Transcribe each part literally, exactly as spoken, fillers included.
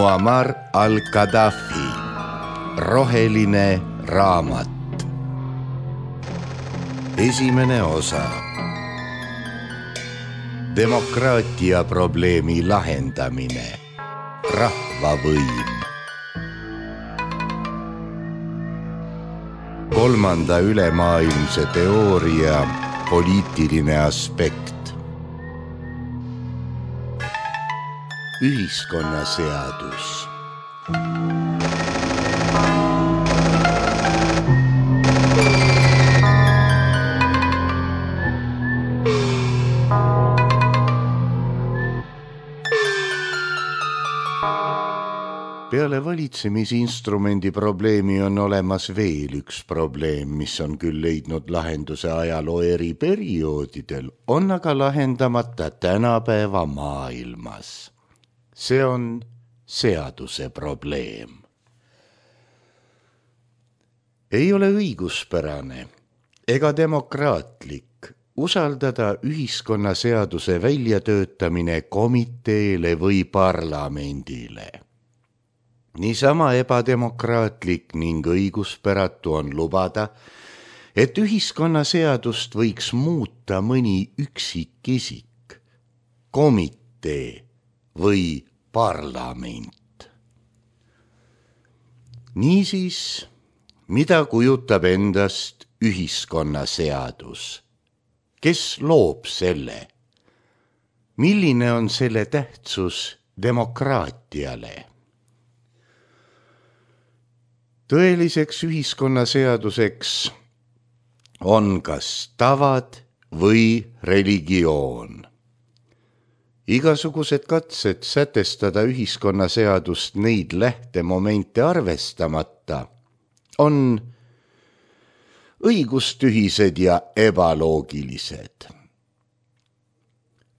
Muammar al-Gaddafi, roheline raamat. Esimene osa. Demokraatia probleemi lahendamine. Rahvavõim. Kolmanda ülemaailmse teooria poliitiline aspekt. Ühiskonnaseadus. Peale valitsemisinstrumendi probleemi on olemas veel üks probleem, mis on küll leidnud lahenduse ajaloo eri perioodidel, on aga lahendamata tänapäeva maailmas. See on seaduse probleem. Ei ole õiguspärane ega demokraatlik usaldada ühiskonnaseaduse väljatöötamine komiteele või parlamendile. Niisama ebademokraatlik ning õiguspäratu on lubada, et ühiskonnaseadust võiks muuta mõni üksikisik, komitee või parlament. Niisiis, mida kujutab endast ühiskonnaseadus? Kes loob selle? Milline on selle tähtsus demokraatiale? Tõeliseks ühiskonnaseaduseks on kas tavad või religioon. Igasugused katsed sätestada ühiskonnaseadust neid lähtemomente arvestamata on õigustühised ja ebaloogilised.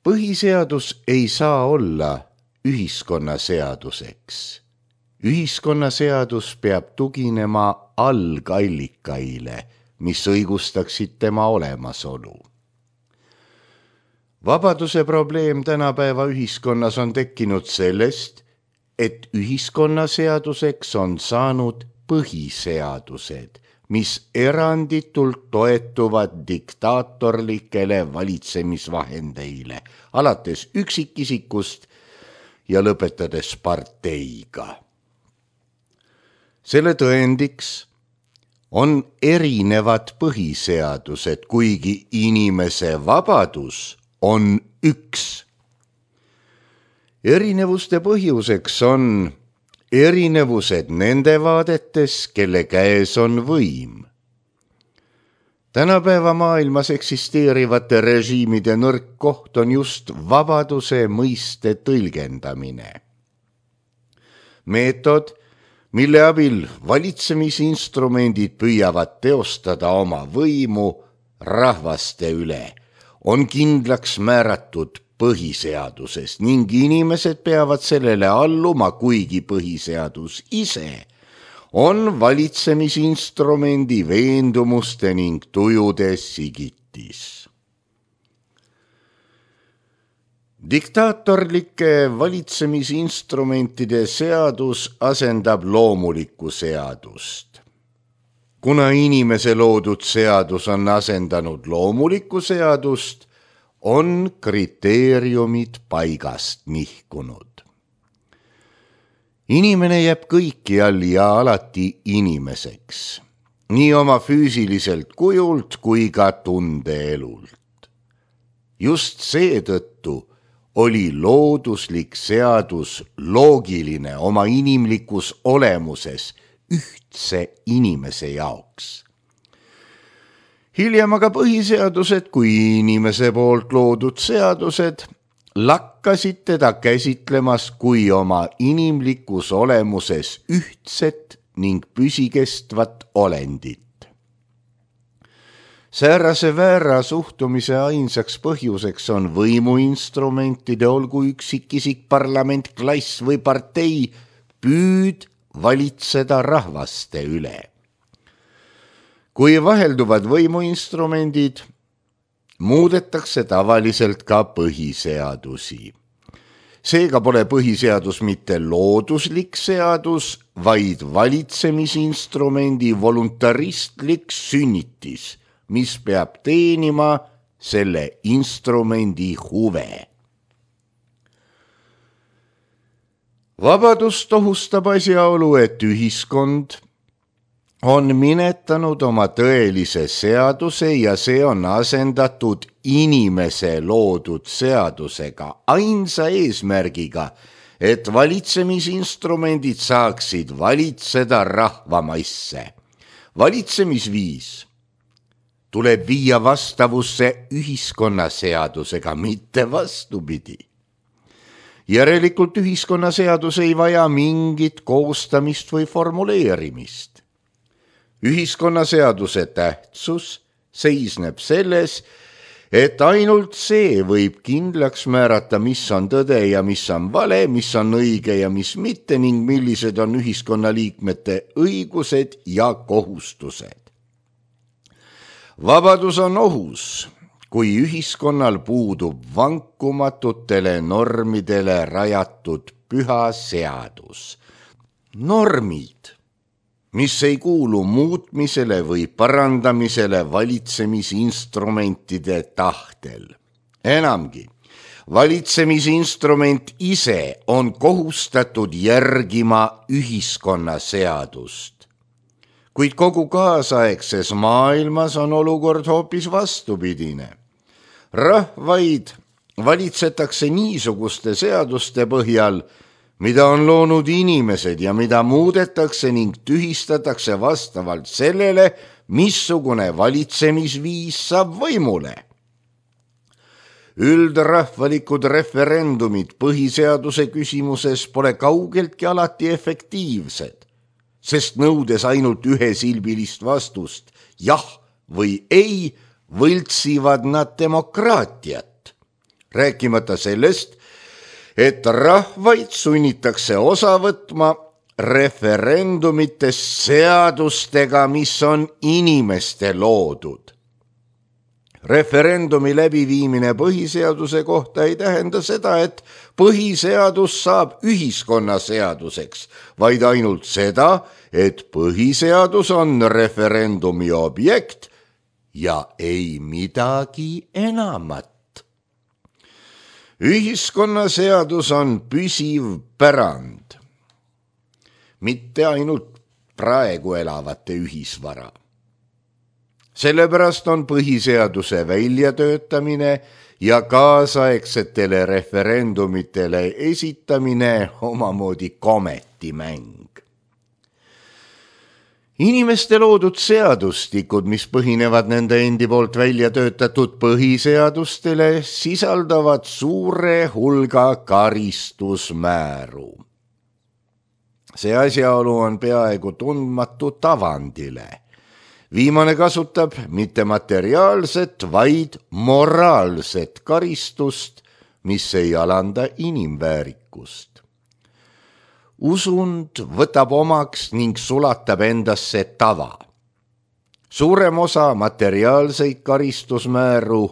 Põhiseadus ei saa olla ühiskonnaseaduseks. Ühiskonnaseadus peab tuginema algallikaile, mis õigustaksid tema olemasolu. Vabaduse probleem tänapäeva ühiskonnas on tekkinud sellest, et ühiskonnaseaduseks on saanud põhiseadused, mis eranditult toetuvad diktaatorlikele valitsemisvahendeile, alates üksikisikust ja lõpetades parteiga. Selle tõendiks on erinevad põhiseadused, kuigi inimese vabadus on üks. Erinevuste põhjuseks on erinevused nende vaadetes, kelle käes on võim. Tänapäeva maailmas eksisteerivate režiimide nõrk koht on just vabaduse mõiste tõlgendamine. Meetod, mille abil valitsemisinstrumendid püüavad teostada oma võimu rahvaste üle, on kindlaks määratud põhiseaduses ning inimesed peavad sellele alluma, kuigi põhiseadus ise on valitsemisinstrumendi veendumuste ning tujude sigitis. Diktaatorlike valitsemisinstrumentide seadus asendab loomulikku seadust. Kuna inimese loodud seadus on asendanud loomulikku seadust, on kriteeriumid paigast nihkunud. Inimene jääb kõikjal ja alati inimeseks, nii oma füüsiliselt kujult kui ka tundeelult. Just seetõttu oli looduslik seadus loogiline oma inimlikus olemuses ühtse inimese jaoks. Hiljem aga põhiseadused kui inimese poolt loodud seadused lakkasid teda käsitlemas kui oma inimlikus olemuses ühtset ning püsikestvat olendit. Säärase väära suhtumise ainsaks põhjuseks on võimuinstrumentide, olgu üksikisik, parlament, klass või partei, püüd valitseda rahvaste üle. Kui vahelduvad võimuinstrumendid, muudetakse tavaliselt ka põhiseadusi. Seega pole põhiseadus mitte looduslik seadus, vaid valitsemisinstrumendi voluntaristlik sünnitis, mis peab teenima selle instrumendi huve. Vabadust ohustab asjaolu, et ühiskond on minetanud oma tõelise seaduse ja see on asendatud inimese loodud seadusega ainsa eesmärgiga, et valitsemisinstrumendid saaksid valitseda rahvamaisse. Valitsemisviis tuleb viia vastavusse ühiskonnaseadusega, mitte vastupidi. Järelikult ühiskonnaseadus ei vaja mingit koostamist või formuleerimist. Ühiskonnaseaduse tähtsus seisneb selles, et ainult see võib kindlaks määrata, mis on tõde ja mis on vale, mis on õige ja mis mitte ning millised on ühiskonnaliikmete õigused ja kohustused. Vabadus on ohus, kui ühiskonnal puudub vankumatutele normidele rajatud püha seadus. Normid, mis ei kuulu muutmisele või parandamisele valitsemisinstrumentide tahtel. Enamgi, valitsemisinstrument ise on kohustatud järgima ühiskonnaseadust. Kuid kogu kaasaegses maailmas on olukord hoopis vastupidine. Rahvaid valitsetakse niisuguste seaduste põhjal, mida on loonud inimesed ja mida muudetakse ning tühistatakse vastavalt sellele, missugune valitsemisviis saab võimule. Üldrahvalikud referendumid põhiseaduse küsimuses pole kaugeltki alati efektiivsed, sest nõudes ainult ühesilbilist vastust, jah või ei, võltsivad nad demokraatiat. Rääkimata sellest, et rahvaid sunnitakse osa võtma referendumitest seadustega, mis on inimeste loodud. Referendumi läbiviimine põhiseaduse kohta ei tähenda seda, et põhiseadus saab ühiskonnaseaduseks, vaid ainult seda, et põhiseadus on referendumi objekt ja ei midagi enamat. Ühiskonnaseadus on püsiv pärand, mitte ainult praegu elavate ühisvara. Sellepärast on põhiseaduse väljatöötamine ja kaasaegsetele referendumitele esitamine omamoodi kometimäng. Inimeste loodud seadustikud, mis põhinevad nende endi poolt välja töötatud põhiseadustele, sisaldavad suure hulga karistusmääru. See asjaolu on peaaegu tundmatu tavandile. Viimane kasutab mitte materiaalset, vaid moraalset karistust, mis ei alanda inimväärikust. Usund võtab omaks ning sulatab endasse tava. Suurem osa materiaalseid karistusmääru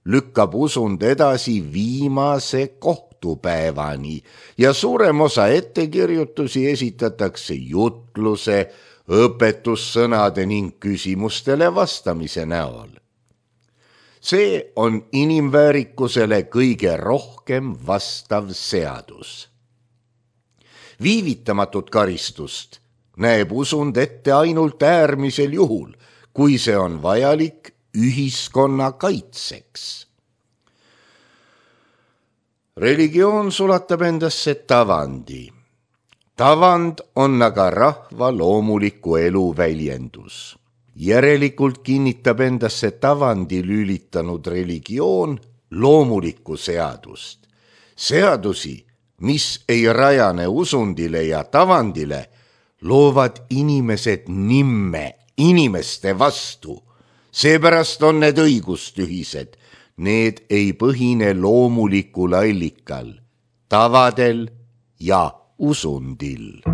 lükkab usund edasi viimase kohtupäevani ja suurem osa ettekirjutusi esitatakse jutluse, õpetussõnade ning küsimustele vastamise näol. See on inimväärikusele kõige rohkem vastav seadus. Viivitamatut karistust näeb usund ette ainult äärmisel juhul, kui see on vajalik ühiskonna kaitseks. Religioon sulatab endasse tavandi. Tavand on aga rahva loomuliku elu väljendus. Järelikult kinnitab endasse tavandi lülitanud religioon loomulikku seadust. Seadusi, mis ei rajane usundile ja tavandile, loovad inimesed nimme inimeste vastu. Seepärast on need õigustühised. Need ei põhine loomulikul allikal, tavadel ja usundil.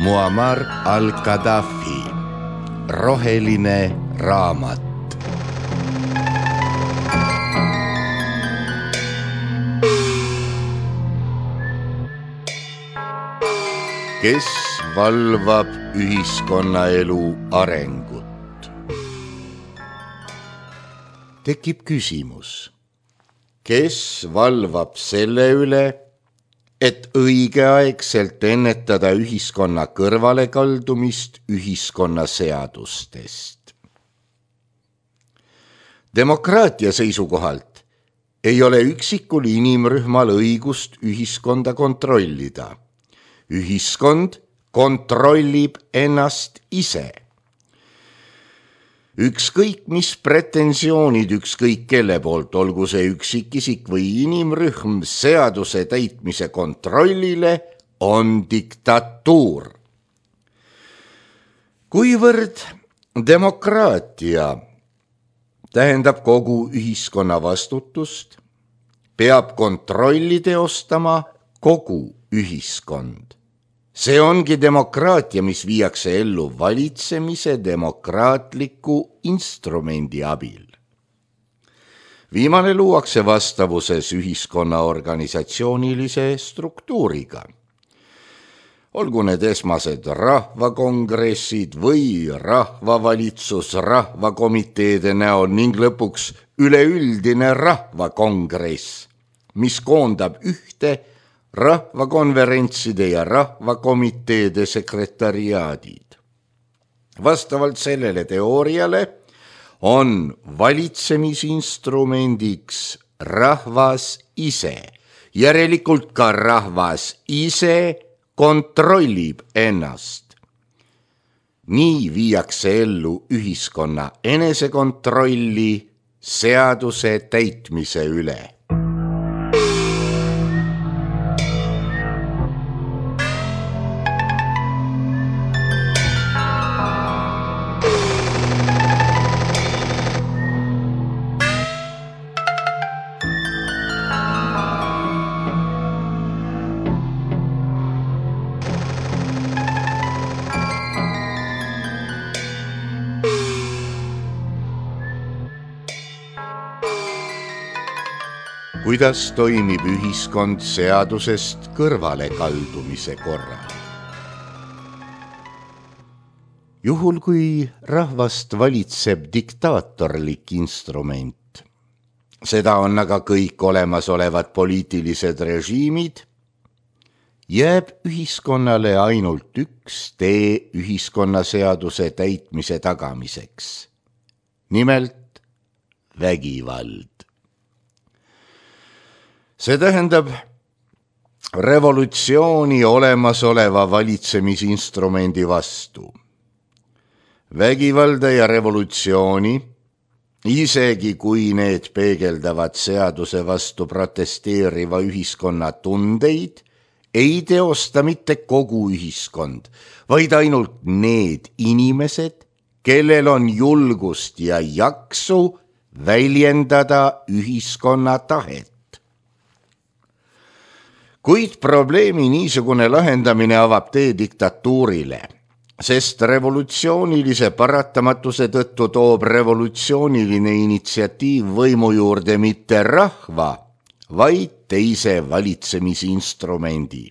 Muammar al-Gaddafi, roheline raamat. Kes valvab ühiskonnaelu arengut? Tekib küsimus, kes valvab selle üle, et õigeaegselt ennetada ühiskonna kõrvalekaldumist ühiskonna seadustest. Demokraatia seisukohalt ei ole üksikul inimrühmal õigust ühiskonda kontrollida. Ühiskond kontrollib ennast ise. Ükskõik mis pretensioonid ükskõik kelle poolt, olgu see üksikisik või inimrühm seaduse täitmise kontrollile, on diktatuur. Kuivõrd demokraatia tähendab kogu ühiskonna vastutust, peab kontrolli teostama kogu ühiskond. See ongi demokraatia, mis viiakse ellu valitsemise demokraatliku instrumendi abil. Viimane luuakse vastavuses ühiskonna organisatsioonilise struktuuriga. Olgu need esmased rahvakongressid või rahvavalitsus rahvakomiteede näol ning lõpuks üleüldine rahvakongress, mis koondab ühte rahvakonverentside ja rahvakomiteede sekretariaadid. Vastavalt sellele teooriale on valitsemisinstrumendiks rahvas ise. Järelikult ka rahvas ise kontrollib ennast. Nii viiakse ellu ühiskonna enesekontrolli seaduse täitmise üle. Kuidas toimib ühiskond seadusest kõrvale kaldumise korral? Juhul, kui rahvast valitseb diktaatorlik instrument, seda on aga kõik olemasolevad poliitilised režiimid, jääb ühiskonnale ainult üks tee ühiskonnaseaduse täitmise tagamiseks. Nimelt vägivald. See tähendab revolutsiooni olemasoleva valitsemisinstrumendi vastu. Vägivalda ja revolutsiooni, isegi kui need peegeldavad seaduse vastu protesteeriva ühiskonna tundeid, ei teosta mitte kogu ühiskond, vaid ainult need inimesed, kellel on julgust ja jaksu väljendada ühiskonna tahet. Kuid probleemi niisugune lahendamine avab tee diktatuurile, sest revolutsioonilise paratamatuse tõttu toob revolutsiooniline initsiatiiv võimu juurde mitte rahva, vaid teise valitsemisinstrumendi.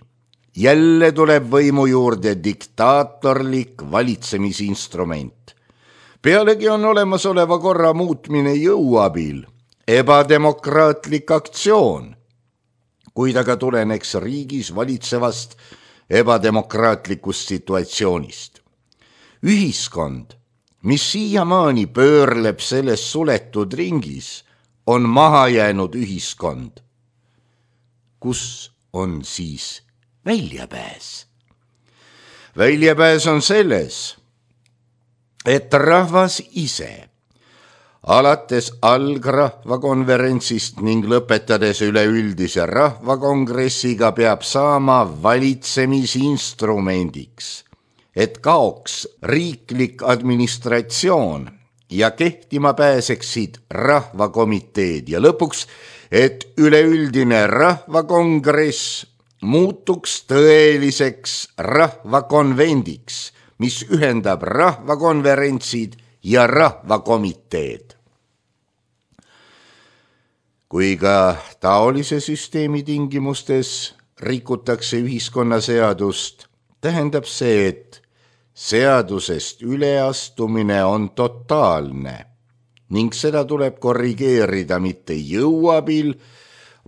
Jälle tuleb võimu juurde diktaatorlik valitsemisinstrument. Pealegi on olemasoleva korra muutmine jõuabil, ebademokraatlik aktsioon, kuid aga tuleneks riigis valitsevast ebademokraatlikust situatsioonist. Ühiskond, mis siiamaani pöörleb selles suletud ringis, on maha jäänud ühiskond. Kus on siis väljapääs? Väljapääs on selles, et rahvas ise, alates algrahvakonverentsist ning lõpetades üleüldise rahvakongressiga peab saama valitsemisinstrumendiks, et kaoks riiklik administratsioon ja kehtima pääseksid rahvakomiteed ja lõpuks, et üleüldine rahvakongress muutuks tõeliseks rahvakonvendiks, mis ühendab rahvakonverentsid ja rahvakomiteed. Kui ka taolise süsteemi tingimustes rikutakse ühiskonnaseadust, tähendab see, et seadusest üleastumine on totaalne ning seda tuleb korrigeerida mitte jõuabil,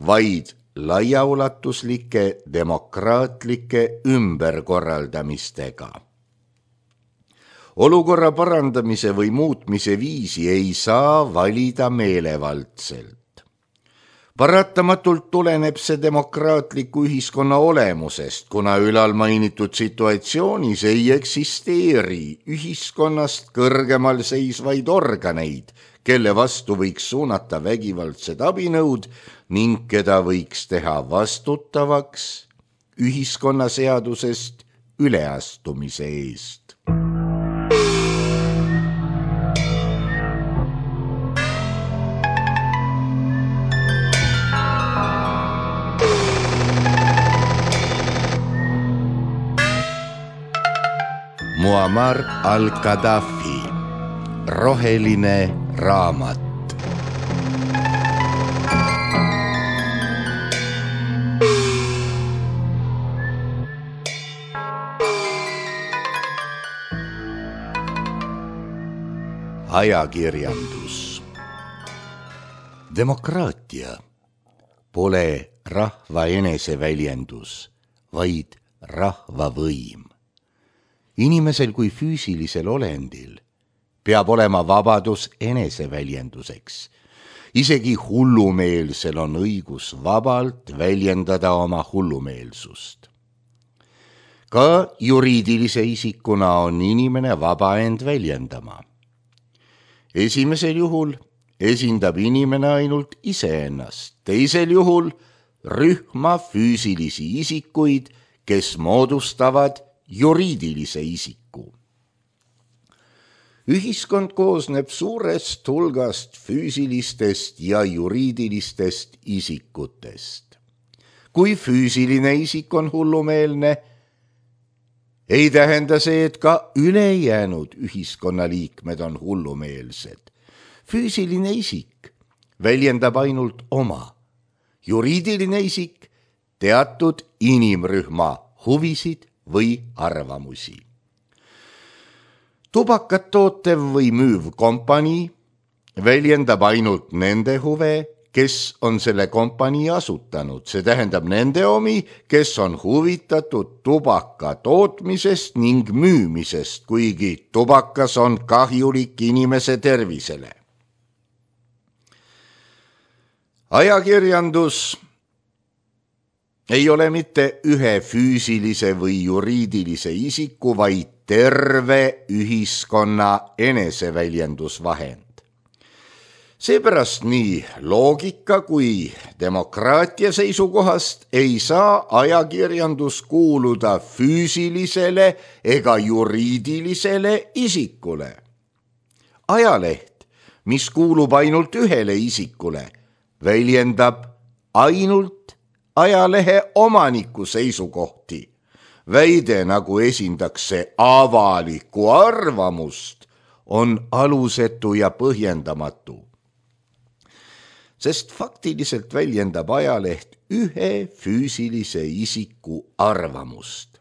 vaid laiaulatuslike demokraatlike ümberkorraldamistega. Olukorra parandamise või muutmise viisi ei saa valida meelevaldselt. Paratamatult tuleneb see demokraatliku ühiskonna olemusest, kuna ülalmainitud situatsioonis ei eksisteeri ühiskonnast kõrgemal seisvaid organeid, kelle vastu võiks suunata vägivaldsed abinõud ning keda võiks teha vastutavaks ühiskonnaseadusest üleastumise eest. Muammar al-Gaddafi, roheline raamat. Ajakirjandus. Demokraatia pole rahva eneseväljendus, vaid rahva võim. Inimesel kui füüsilisel olendil peab olema vabadus eneseväljenduseks. Isegi hullumeelsel on õigus vabalt väljendada oma hullumeelsust. Ka juriidilise isikuna on inimene vaba end väljendama. Esimesel juhul esindab inimene ainult iseennast, teisel juhul rühma füüsilisi isikuid, kes moodustavad juriidilise isiku. Ühiskond koosneb suurest hulgast füüsilistest ja juriidilistest isikutest. Kui füüsiline isik on hullumeelne, ei tähenda see, et ka ülejäänud ühiskonnaliikmed on hullumeelsed. Füüsiline isik väljendab ainult oma, juriidiline isik teatud inimrühma huvisid või arvamusi. Tubakat tootev või müüv kompanii väljendab ainult nende huve, kes on selle kompanii asutanud. See tähendab nende omi, kes on huvitatud tubaka tootmisest ning müümisest, kuigi tubakas on kahjulik inimese tervisele. Ajakirjandus ei ole mitte ühe füüsilise või juriidilise isiku, vaid terve ühiskonna eneseväljendusvahend. Seepärast nii loogika kui demokraatia seisukohast ei saa ajakirjandus kuuluda füüsilisele ega juriidilisele isikule. Ajaleht, mis kuulub ainult ühele isikule, väljendab ainult ajalehe omaniku seisukohti. Väide, nagu esindaks see avalikku arvamust, on alusetu ja põhjendamatu. Sest faktiliselt väljendab ajaleht ühe füüsilise isiku arvamust.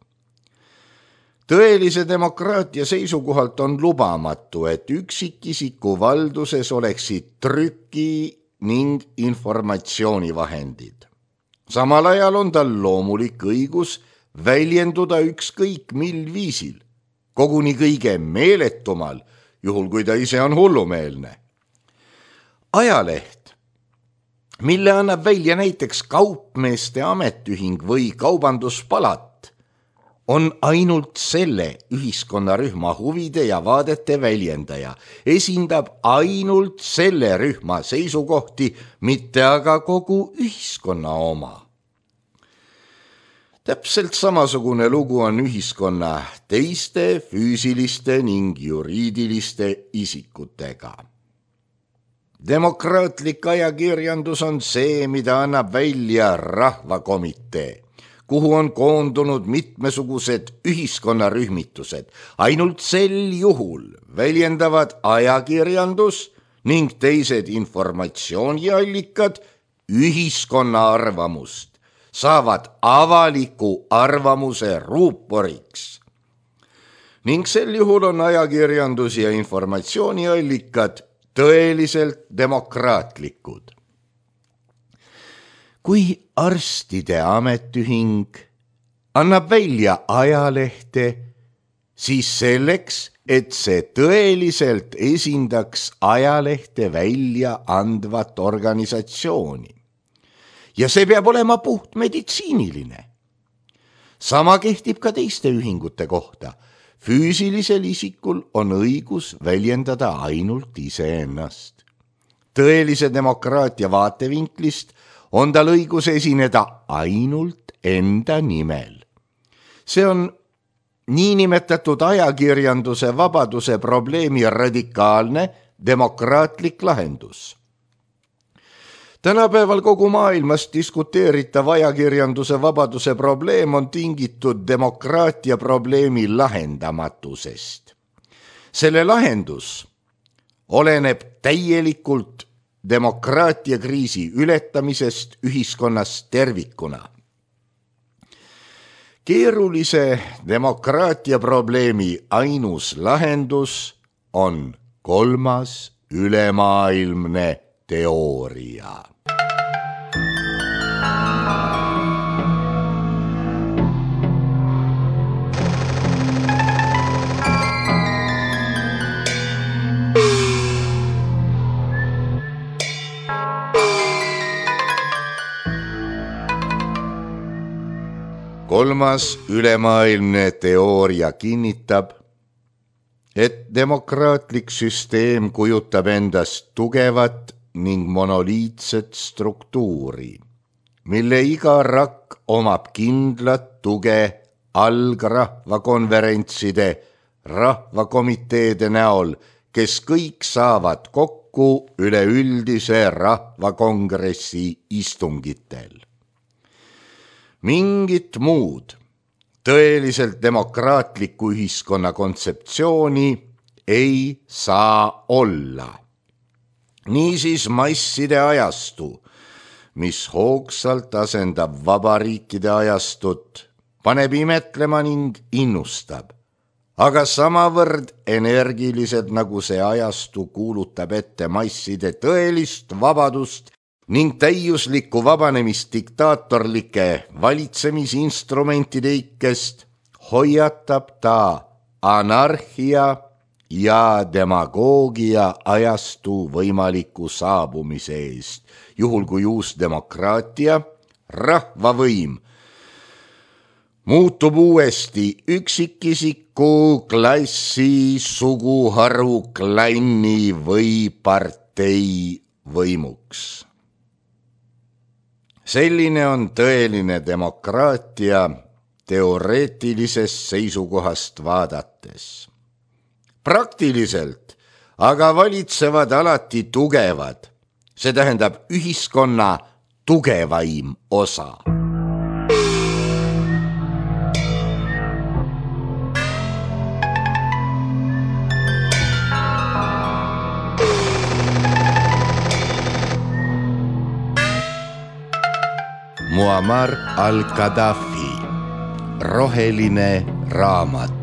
Tõelise demokraatia seisukohalt on lubamatu, et üksikisiku valduses oleksid trüki ning informatsioonivahendid. Samal ajal on tal loomulik õigus väljenduda ükskõik mil viisil, koguni kõige meeletumal, juhul kui ta ise on hullumeelne. Ajaleht, mille annab välja näiteks kaupmeeste ametiühing või kaubanduspalat, on ainult selle ühiskonnarühma huvide ja vaadete väljendaja, esindab ainult selle rühma seisukohti, mitte aga kogu ühiskonna oma. Täpselt samasugune lugu on ühiskonna teiste füüsiliste ning juriidiliste isikutega. Demokraatlik ajakirjandus on see, mida annab välja rahvakomitee. kuhu on koondunud mitmesugused ühiskonnarühmitused. Ainult sel juhul väljendavad ajakirjandus ning teised informatsiooniallikad ühiskonna arvamust, saavad avaliku arvamuse ruuporiks. Ning sel juhul on ajakirjandus ja informatsiooniallikad tõeliselt demokraatlikud. Kui arstide ametiühing annab välja ajalehte, siis selleks, et see tõeliselt esindaks ajalehte välja andvat organisatsiooni. Ja see peab olema puht meditsiiniline. Sama kehtib ka teiste ühingute kohta. Füüsilisel isikul on õigus väljendada ainult iseennast. Tõelise demokraatia vaatevinklist on tal õigus esineda ainult enda nimel. See on niinimetatud ajakirjanduse vabaduse probleemi radikaalne demokraatlik lahendus. Tänapäeval kogu maailmas diskuteeritav ajakirjanduse vabaduse probleem on tingitud demokraatia probleemi lahendamatusest. Selle lahendus oleneb täielikult demokraatia kriisi ületamisest ühiskonnas tervikuna. Keerulise demokraatia probleemi ainus lahendus on kolmas ülemaailmne teooria. Kolmas ülemaailmne teooria kinnitab, et demokraatlik süsteem kujutab endast tugevat ning monoliitset struktuuri, mille iga rakk omab kindlat tuge algrahvakonverentside, rahvakomiteede näol, kes kõik saavad kokku üleüldise rahvakongressi istungitel. Mingit muud tõeliselt demokraatliku ühiskonna kontseptsiooni ei saa olla. Niisiis masside ajastu, mis hoogsalt asendab vabariikide ajastut, paneb imetlema ning innustab, aga samavõrd energiliselt nagu see ajastu kuulutab ette masside tõelist vabadust ning täiuslikku vabanemist diktaatorlike valitsemisinstrumentide ikkest, hoiatab ta anarhia ja demagoogia ajastu võimaliku saabumise eest, juhul kui uus demokraatia, rahvavõim, muutub uuesti üksikisiku, klassi, suguharu, klanni või partei võimuks. Selline on tõeline demokraatia teoreetilisest seisukohast vaadates. Praktiliselt aga valitsevad alati tugevad, see tähendab ühiskonna tugevaim osa. Muammar al-Gaddafi, roheline raamat.